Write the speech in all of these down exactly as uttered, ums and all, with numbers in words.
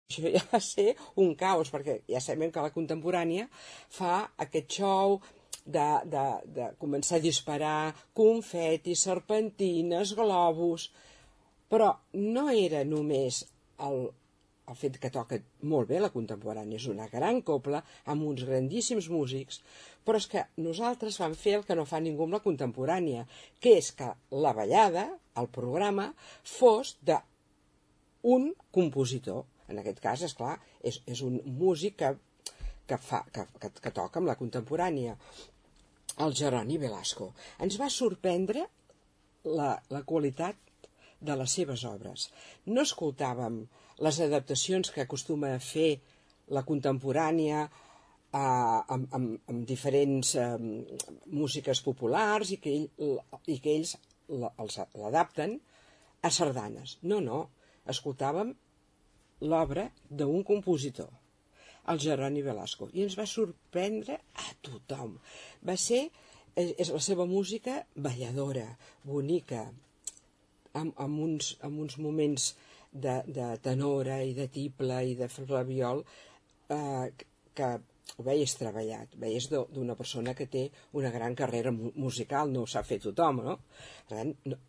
Això ja va ser un caos, perquè ja sabem que la contemporània fa aquest show de, de, de començar a disparar confetis, serpentines, globus, però no era només el, el fet que toca molt bé la contemporània, és una gran cobla amb uns grandíssims músics, però és que nosaltres vam fer el que no fa ningú amb la contemporània, que és que la ballada, el programa, fos d'un compositor. En aquest cas, és clar, és, és un músic que, que, fa, que, que, que toca amb la contemporània, el Jeroni Velasco. Ens va sorprendre la, la qualitat de les seves obres. No escoltàvem les adaptacions que acostuma a fer la contemporània eh, amb, amb, amb diferents eh, músiques populars i que, ell, i que ells l'adapten a sardanes. No, no, escoltàvem l'obra d'un compositor, el Jeroni Velasco, i ens va sorprendre a tothom. Va ser, és la seva música balladora, bonica, amb, amb, uns, amb uns moments de, de tenora i de tiple i de flabiol eh, que ho veies treballat, veies d'una persona que té una gran carrera musical, no ho sap fer tothom, no? Per tant, no,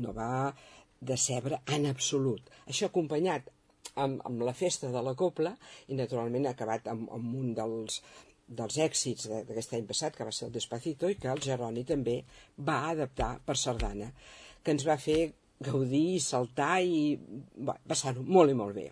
no va decebre en absolut. Això acompanyat Amb, amb la festa de la cobla i naturalment ha acabat amb, amb un dels, dels èxits d'aquest any passat, que va ser el Despacito, i que el Jeroni també va adaptar per sardana, que ens va fer gaudir i saltar i va passar-ho molt i molt bé.